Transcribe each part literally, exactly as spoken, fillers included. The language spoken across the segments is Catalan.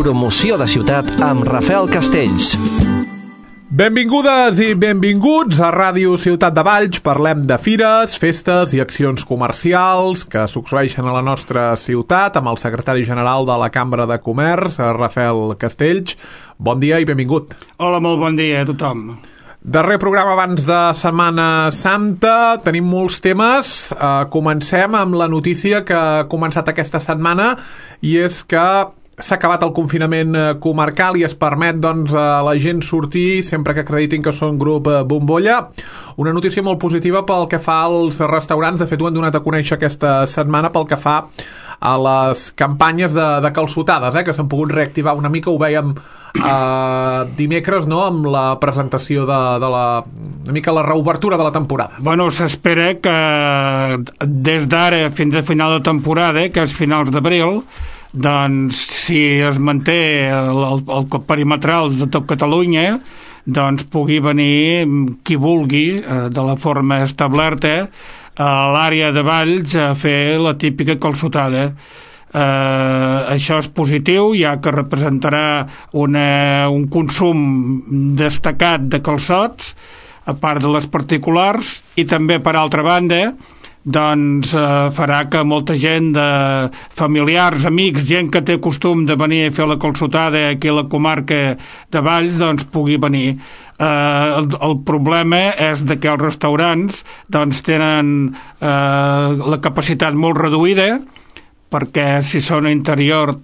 Promoció de ciutat amb Rafael Castells. Benvingudes i benvinguts a Ràdio Ciutat de Valls. Parlem de fires, festes i accions comercials que succeeixen a la nostra ciutat amb el secretari general de la Cambra de Comerç, Rafael Castells. Bon dia i benvingut. Hola, molt bon dia a tothom. Darrer programa abans de Setmana Santa, tenim molts temes. Uh, comencem amb la notícia que ha començat aquesta setmana i és que s'ha acabat el confinament comarcal i es permet doncs, a la gent sortir sempre que acreditin que són grup bombolla. Una notícia molt positiva pel que fa als restaurants. De fet, ho han donat a conèixer aquesta setmana pel que fa a les campanyes de, de calçotades, eh, que s'han pogut reactivar una mica. Ho vèiem eh, dimecres, no?, amb la presentació de, de la, una mica la reobertura de la temporada. Bueno, s'espera que des d'ara fins a final de temporada, que és finals d'abril, doncs si es manté el, el, el perimetral de tot Catalunya, doncs pugui venir qui vulgui eh, de la forma establerta a l'àrea de Valls a fer la típica calçotada. Eh, això és positiu, ja que representarà una, un consum destacat de calçots, a part de les particulars, i també, per altra banda, doncs eh, farà que molta gent, de familiars, amics, gent que té costum de venir a fer la calçotada aquí a la comarca de Valls, doncs pugui venir. Eh, el, el problema és de que els restaurants doncs tenen eh, la capacitat molt reduïda, perquè si són a interior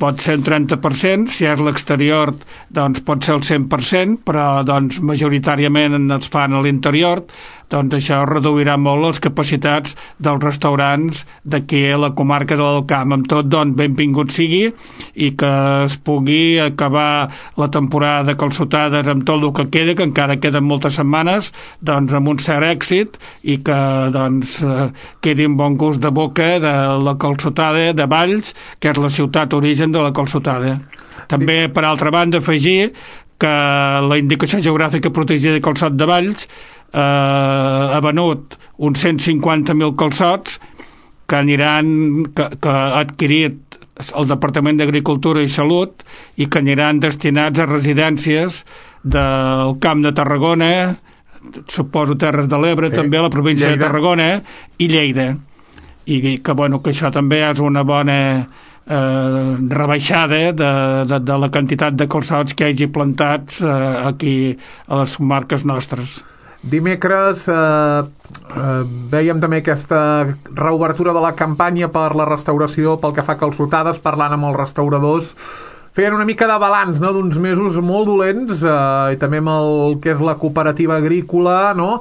pot ser un trenta per cent, si és l'exterior doncs pot ser el cent per cent, però doncs majoritàriament es fan a l'interior, doncs això reduirà molt les capacitats dels restaurants d'aquí a la comarca de l'Alt Camp. Amb tot, doncs, benvingut sigui i que es pugui acabar la temporada de calçotades amb tot el que queda, que encara queden moltes setmanes, doncs amb un cert èxit, i que doncs quedi un bon gust de boca de la calçotada de Valls, que és la ciutat origen de la calçotada. També, per altra banda, afegir que la indicació geogràfica protegida de calçot de Valls eh, ha venut uns cent cinquanta mil calçots que aniran, que, que ha adquirit el Departament d'Agricultura i Salut i que aniran destinats a residències del Camp de Tarragona, suposo Terres de l'Ebre, sí, també a la província Lleida. de Tarragona i Lleida. I que, bueno, que això també és una bona eh, rebaixada de, de, de la quantitat de calçots que hi hagi plantats eh, aquí a les comarques nostres. Dimecres eh, eh, veiem també aquesta reobertura de la campanya per la restauració pel que fa a calçotades, parlant amb els restauradors. Feien una mica de balanç, no?, d'uns mesos molt dolents, eh, i també amb el que és la cooperativa agrícola, no?,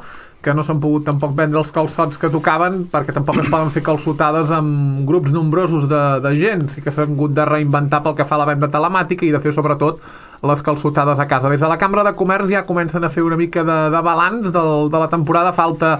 que no s'han pogut tampoc vendre els calçots que tocaven, perquè tampoc es poden fer calçotades amb grups nombrosos de, de gent. Sí que s'han hagut de reinventar pel que fa a la venda telemàtica i de fer sobretot les calçotades a casa. Des de la Cambra de Comerç ja comencen a fer una mica de, de balanç del, de la temporada. Falta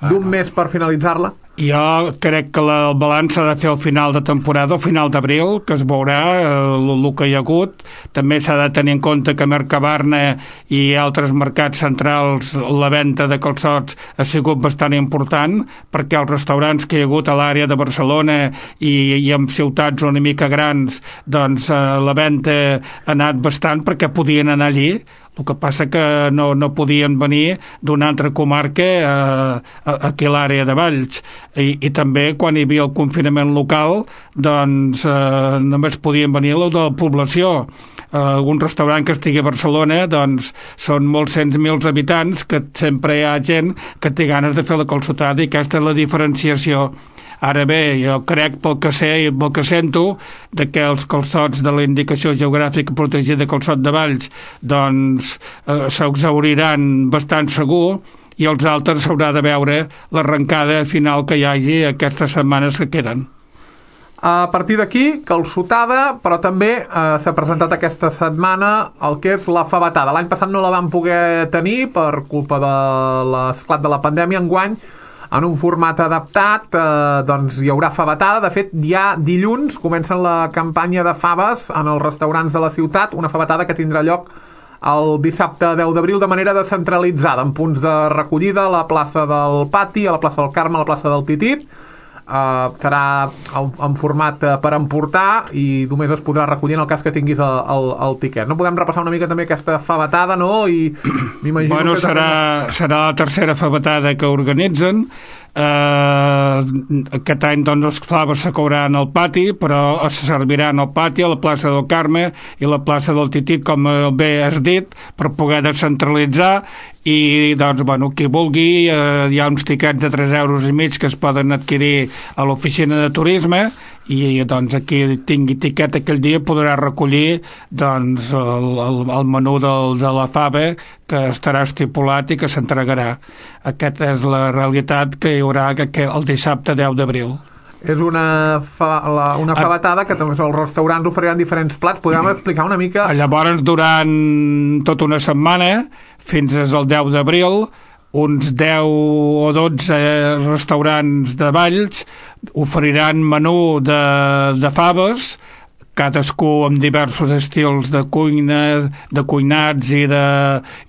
d'un mes per finalitzar-la. Jo crec que la, el balanç s'ha de fer al final de temporada, al final d'abril, que es veurà el, el que hi ha hagut. També s'ha de tenir en compte que a Mercabarna i altres mercats centrals la venda de calçots ha sigut bastant important, perquè els restaurants que hi ha hagut a l'àrea de Barcelona i, i en ciutats una mica grans, doncs eh, la venda ha anat bastant perquè podien anar allí. El que passa que no, no podien venir d'una altra comarca eh, aquí a l'àrea de Valls. I, i també quan hi havia el confinament local, doncs eh, només podien venir la de la població. Eh, algun restaurant que estigui a Barcelona, doncs són molts cents mils habitants, que sempre hi ha gent que té ganes de fer la calçotada, i aquesta és la diferenciació. Ara bé, jo crec, pel que sé i pel que sento, de que els calçots de la indicació geogràfica protegida de calçot de Valls doncs eh, s'exauriran bastant segur, i els altres s'haurà de veure l'arrencada final que hi hagi aquestes setmanes que queden. A partir d'aquí, calçotada, però també eh, s'ha presentat aquesta setmana el que és la favetada. L'any passat no la vam poder tenir per culpa de l'esclat de la pandèmia. Enguany, en un format adaptat, eh, doncs hi haurà favetada. De fet, ja dilluns comencen la campanya de faves en els restaurants de la ciutat, una favetada que tindrà lloc el dissabte deu d'abril de manera descentralitzada, en punts de recollida a la plaça del Pati, a la plaça del Carme, a la plaça del Titit. Uh, serà en, en format uh, per emportar i només es podrà recollir en el cas que tinguis el, el, el tiquet. No podem repassar una mica també aquesta favetada, no? I m'imagino bueno, que serà, també... serà la tercera favetada que organitzen. Uh, aquest any doncs les faves se cauran al pati, però es serviran al pati, a la plaça del Carme i la plaça del Titit, com bé has dit, per poder descentralitzar. I doncs, bueno, qui vulgui, eh, hi ha uns tiquets de tres euros i mig que es poden adquirir a l'oficina de turisme i doncs aquí tingui tiquet aquell dia podrà recollir doncs el, el, el menú del, de la fava que estarà estipulat i que s'entregarà. Aquesta és la realitat que hi haurà el dissabte deu d'abril. És una, fa, la, una favetada que també els restaurants oferiran diferents plats. Podem explicar una mica? Llavors, durant tota una setmana, fins al deu d'abril, uns deu o dotze restaurants de Valls oferiran menú de, de faves, cadascú amb diversos estils de cuina, de cuinats i de,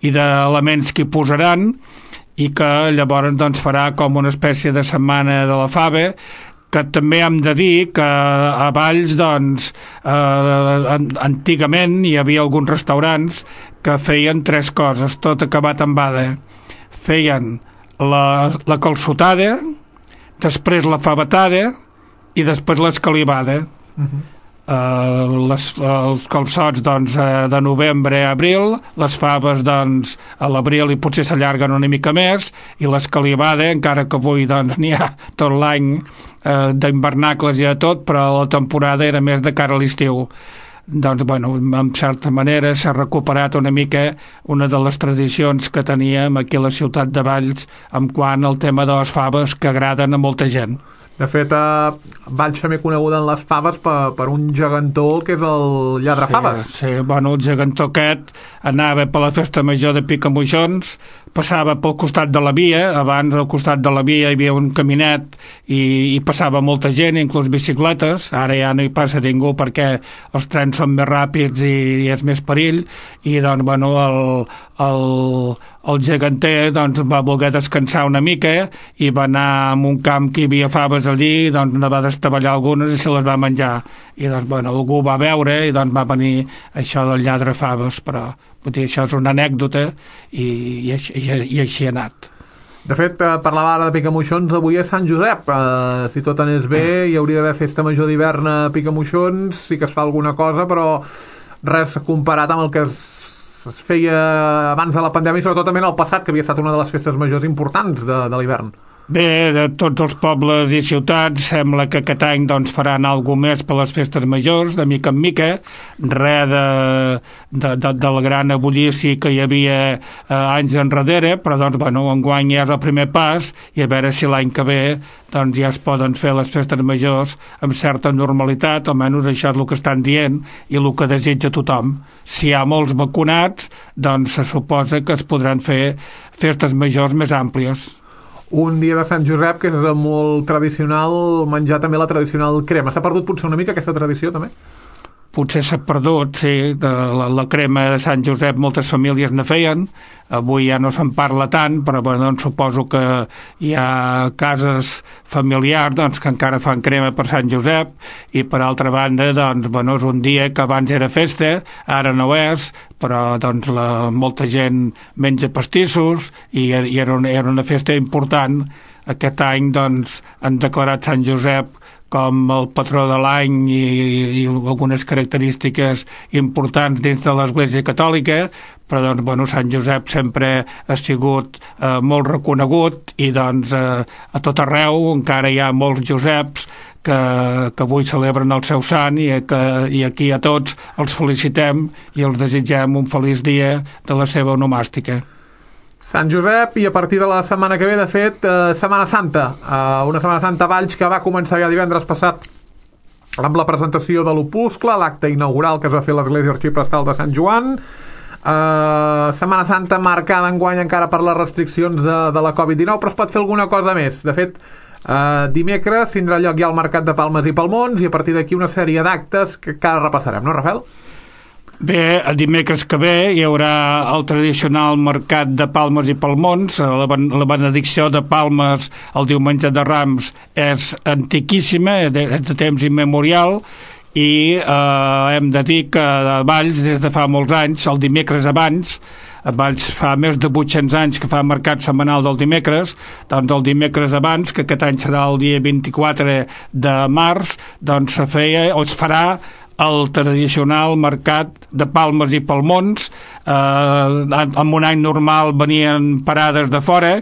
i d'elements que hi posaran, i que llavors doncs, farà com una espècie de setmana de la fava, que també hem de dir que a Valls doncs, eh, antigament hi havia alguns restaurants que feien tres coses, tot acabat en bada. Feien la, la calçotada, després la favetada i després l'escalivada. Uh-huh. Uh, les, els calçots doncs, de novembre a abril, les faves doncs, a l'abril i potser s'allarguen una mica més, i l'escalivada, encara que avui doncs, n'hi ha tot l'any eh, d'hivernacles i de tot, però la temporada era més de cara a l'estiu. Doncs, bueno, en certa manera s'ha recuperat una mica una de les tradicions que teníem aquí a la ciutat de Valls en quant al tema de les faves que agraden a molta gent. De fet, eh, Valls també coneguda en les faves per, per un gegantó que és el lladre faves. Sí, sí, bueno, el gegantó aquest anava per la festa major de Picamoixons, passava pel costat de la via, abans al costat de la via hi havia un caminet i, i passava molta gent, inclús bicicletes, ara ja no hi passa ningú perquè els trens són més ràpids i, i és més perill, i doncs, bueno, el, el, el geganter doncs, va voler descansar una mica i va anar a un camp que hi havia faves allí, doncs ne va destaballar algunes i se les va menjar, i doncs, bueno, algú va veure i doncs va venir això del lladre faves, però vull dir, això és una anècdota i, i, i, i així ha anat. De fet, eh, parlava ara de Picamoixons, avui és Sant Josep. Eh, si tot anés bé, hi hauria d'haver festa major d'hivern a Picamoixons, sí que es fa alguna cosa, però res comparat amb el que es, es feia abans de la pandèmia i sobretot també en el passat, que havia estat una de les festes majors importants de, de l'hivern. Bé, de tots els pobles i ciutats sembla que aquest any doncs, faran alguna més per les festes majors, de mica en mica, res de, de, de, del gran ebullici que hi havia eh, anys enrere, però doncs, bueno, enguany ja és el primer pas i a veure si l'any que ve doncs, ja es poden fer les festes majors amb certa normalitat, almenys això és el que estan dient i el que desitja tothom. Si hi ha molts vacunats, doncs se suposa que es podran fer festes majors més àmplies. Un dia de Sant Josep que és molt tradicional menjar també la tradicional crema. S'ha perdut potser una mica aquesta tradició també? Potser s'ha perdut, sí, de la, la crema de Sant Josep moltes famílies ne feien, avui ja no se'n parla tant, però bueno, doncs, suposo que hi ha cases familiars doncs, que encara fan crema per Sant Josep, i per altra banda doncs, bueno, és un dia que abans era festa, ara no és, però doncs, la, molta gent menja pastissos i, i era, una, era una festa important. Aquest any doncs, han declarat Sant Josep com el patró de l'any i, i algunes característiques importants dins de l'Església Catòlica, però doncs, bueno, Sant Josep sempre ha sigut eh, molt reconegut i doncs, eh, a tot arreu encara hi ha molts Joseps que, que avui celebren el seu sant i, que, i aquí a tots els felicitem i els desitgem un feliç dia de la seva onomàstica. Sant Josep, i a partir de la setmana que ve, de fet, eh, Setmana Santa. Eh, una Setmana Santa a Valls que va començar ja divendres passat amb la presentació de l'Opuscle, l'acte inaugural que es va fer a l'Església Arxiprestal de Sant Joan. Eh, Setmana Santa marcada enguany encara per les restriccions de, de la covid dinou, però es pot fer alguna cosa més. De fet, eh, dimecres tindrà lloc ja el Mercat de Palmes i Palmons i a partir d'aquí una sèrie d'actes que, que ara repassarem, no, Rafael? Bé, el dimecres que ve hi haurà el tradicional mercat de palmes i palmons. La, ben, la benedicció de palmes el diumenge de Rams és antiquíssima, és de temps immemorial, i eh, hem de dir que a Valls, des de fa molts anys, el dimecres abans, a Valls fa més de vuit-cents anys que fa mercat setmanal del dimecres, doncs el dimecres abans, que aquest any serà el dia vint-i-quatre de març, doncs se feia, o es farà el tradicional mercat de palmes i palmons. Eh, en un any normal venien parades de fora.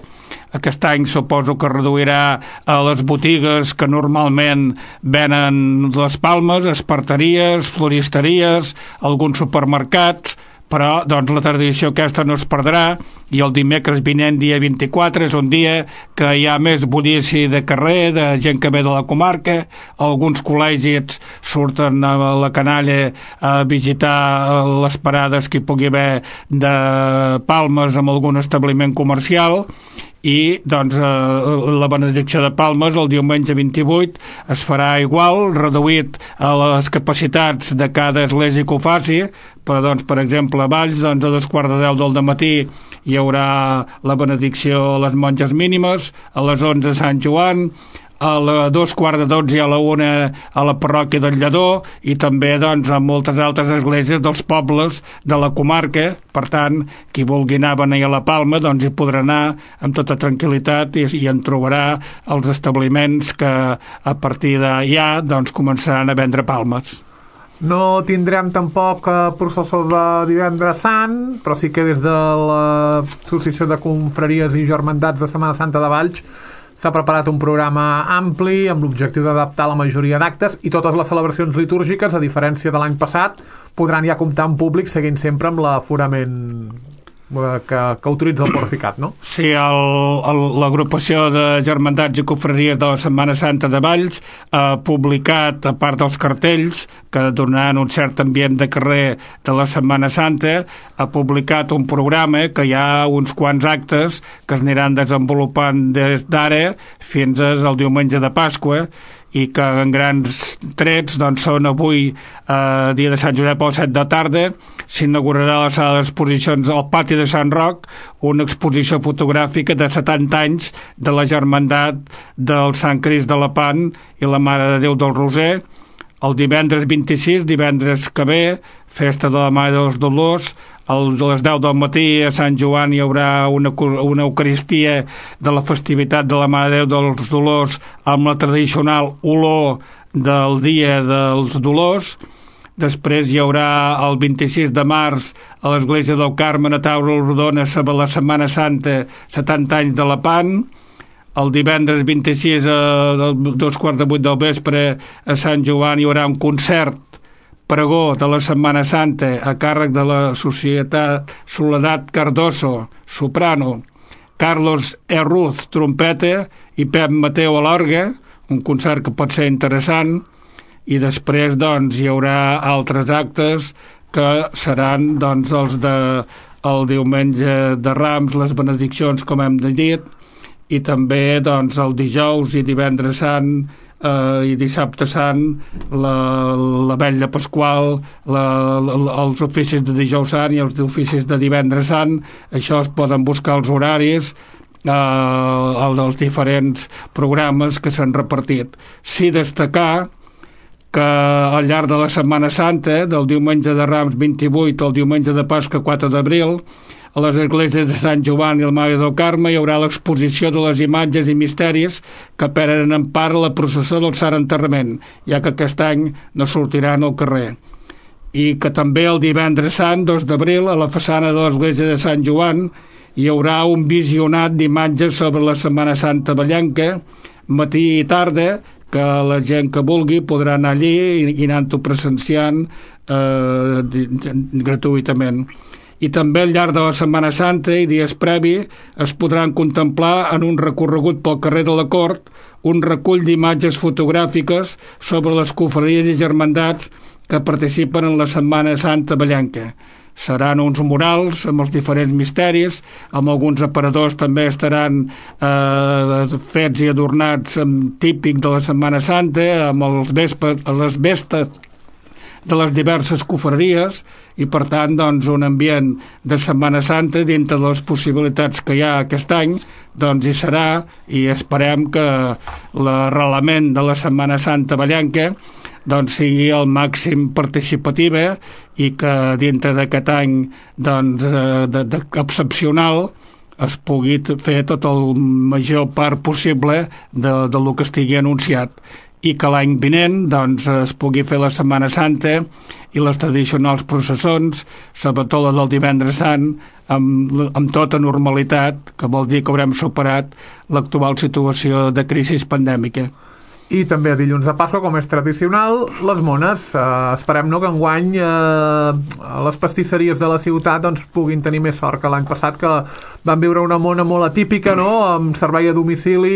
Aquest any suposo que reduirà a les botigues que normalment venen les palmes, esparteries, floristeries, alguns supermercats, però doncs la tradició aquesta no es perdrà, i el dimecres vinent, dia vint-i-quatre, és un dia que hi ha més bullici de carrer, de gent que ve de la comarca. Alguns col·legis surten a la canalla a visitar les parades que hi pugui haver de palmes en algun establiment comercial, i doncs eh, la benedicció de palmes el diumenge vint-i-vuit es farà igual, reduït a les capacitats de cada església que ho faci. Però, doncs, per exemple, a Valls, doncs, a dos quarts de deu del matí hi haurà la benedicció a les monges mínimes, a les onze Sant Joan, a les dos quarts de dotze i a la una a la parròquia del Lledó, i també doncs a moltes altres esglésies dels pobles de la comarca. Per tant, qui vulgui anar a beneir a la Palma doncs hi podrà anar amb tota tranquil·litat, i, i en trobarà els establiments que a partir d'allà doncs començaran a vendre palmes. No tindrem tampoc eh, processó de divendres sant, però sí que des de l'Associació de Confraries i Germandats de Setmana Santa de Valls s'ha preparat un programa ampli amb l'objectiu d'adaptar la majoria d'actes, i totes les celebracions litúrgiques, a diferència de l'any passat, podran ja comptar amb públic, seguint sempre amb l'aforament que, que autoritza el Porficat, no? Sí, l'agrupació de germandats i confraries de la Setmana Santa de Valls ha publicat, a part dels cartells que donaran un cert ambient de carrer de la Setmana Santa, ha publicat un programa que hi ha uns quants actes que es aniran desenvolupant des d'ara fins al diumenge de Pasqua, i que en grans trets doncs, són avui, eh, dia de Sant Josep, a les set de tarda, s'inaugurarà la sala d'exposicions al pati de Sant Roc, una exposició fotogràfica de setanta anys de la germandat del Sant Crist de Lepant i la Mare de Déu del Roser. El divendres vint-i-sis, divendres que ve, festa de la Mare dels Dolors. A les deu del matí a Sant Joan hi haurà una, una eucaristia de la festivitat de la Mare de Déu dels Dolors amb la tradicional olor del dia dels Dolors. Després hi haurà el vint-i-sis de març a l'església del Carme a Taula Rodona sobre la Setmana Santa, setanta anys de Lepant. El divendres vint-i-sis a dos quarts de vuit del vespre a Sant Joan hi haurà un concert pregó de la Setmana Santa a càrrec de la Societat Soledat Cardoso, soprano, Carlos Herruz, trompeta, i Pep Mateu a l'orgue, un concert que pot ser interessant. I després doncs hi haurà altres actes que seran doncs els de el diumenge de Rams, les benediccions, com hem dit, i també doncs el dijous i divendres sant eh, i dissabte sant, la, la vetlla pasqual, la, la, els oficis de dijous sant i els oficis de divendres sant. Això es poden buscar els horaris eh, els diferents programes que s'han repartit. Sí destacar que al llarg de la Setmana Santa, del diumenge de Rams vint-i-vuit al diumenge de Pasqua quatre d'abril, a les esglésies de Sant Joan i el Mare del Carme hi haurà l'exposició de les imatges i misteris que prenen en part la processó del Sant Enterrament, ja que aquest any no sortiran al carrer. I que també el divendres sant, dos d'abril, a la façana de l'església de Sant Joan hi haurà un visionat d'imatges sobre la Setmana Santa vallenca, matí i tarda, que la gent que vulgui podrà anar allí i anar-ho presenciant eh, gratuïtament. I també al llarg de la Setmana Santa i dies previ es podran contemplar en un recorregut pel carrer de la Cort un recull d'imatges fotogràfiques sobre les confraries i germandats que participen en la Setmana Santa vallenca. Seran uns murals amb els diferents misteris, amb alguns aparadors també estaran eh, fets i adornats amb típic de la Setmana Santa, amb els vespes, les vestes de les diverses cofreries i, per tant, doncs, un ambient de Setmana Santa dintre de les possibilitats que hi ha aquest any, doncs hi serà, i esperem que l'arrelament de la Setmana Santa vallenca doncs sigui el màxim participativa i que dintre d'aquest any doncs, de, de, excepcional es pugui fer tot el major part possible de, de lo que estigui anunciat i que l'any vinent doncs, es pugui fer la Setmana Santa i les tradicionals processons, sobretot la del Divendres Sant, amb, amb tota normalitat, que vol dir que haurem superat l'actual situació de crisi pandèmica. I també a dilluns de Pasqua, com és tradicional, les mones. Eh, esperem no, que enguany eh, les pastisseries de la ciutat doncs, puguin tenir més sort que l'any passat, que van viure una mona molt atípica, no?, amb servei a domicili,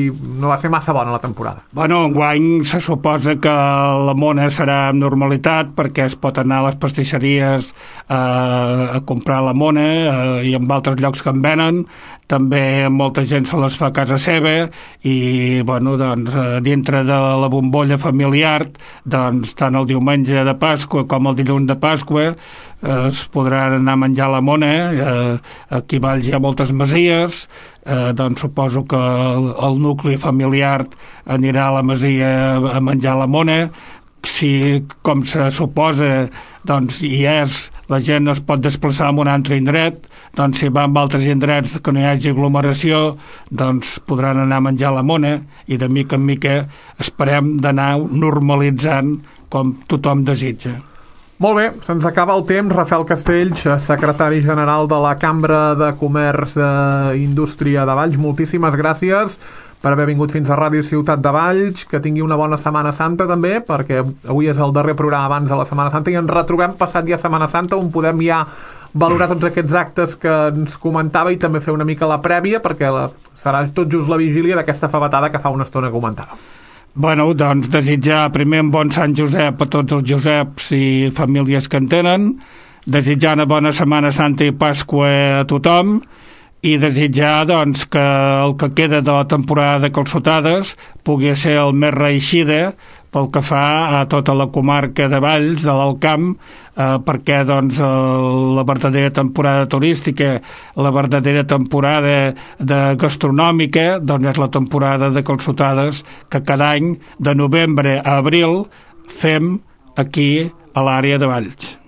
i no va ser massa bona la temporada. Bueno, enguany se suposa que la mona serà amb normalitat, perquè es pot anar a les pastisseries eh, a comprar la mona eh, i en altres llocs que en venen. També molta gent se les fa a casa seva i, bueno, doncs, dintre de la bombolla familiar, doncs, tant el diumenge de Pasqua com el dilluns de Pasqua eh, es podran anar a menjar la mona. Eh, aquí a Valls hi ha moltes masies, eh, doncs suposo que el, el nucli familiar anirà a la masia a menjar la mona. Si, com se suposa, doncs hi és, la gent no es pot desplaçar a un altre indret, doncs si va a altres indrets que no hi hagi aglomeració, doncs podran anar a menjar la mona, i de mica en mica esperem d'anar normalitzant com tothom desitja. Molt bé, se'ns acaba el temps. Rafael Castells, secretari general de la Cambra de Comerç i Indústria de Valls, moltíssimes gràcies per haver vingut fins a Ràdio Ciutat de Valls. Que tingui una bona Setmana Santa també, perquè avui és el darrer programa abans de la Setmana Santa i ens retrobem passat ja Setmana Santa, on podem ja valorar tots aquests actes que ens comentava i també fer una mica la prèvia, perquè la, serà tot just la vigília d'aquesta favetada que fa una estona comentava. Bueno, doncs desitjar primer un bon Sant Josep a tots els Joseps i famílies que en tenen, desitjar una bona Setmana Santa i Pasqua a tothom, i desitjar doncs, que el que queda de la temporada de calçotades pugui ser el més reeixida pel que fa a tota la comarca de Valls, de l'Alt Camp, eh, perquè doncs, la verdadera temporada turística, la verdadera temporada de gastronòmica, doncs és la temporada de calçotades que cada any, de novembre a abril, fem aquí a l'àrea de Valls.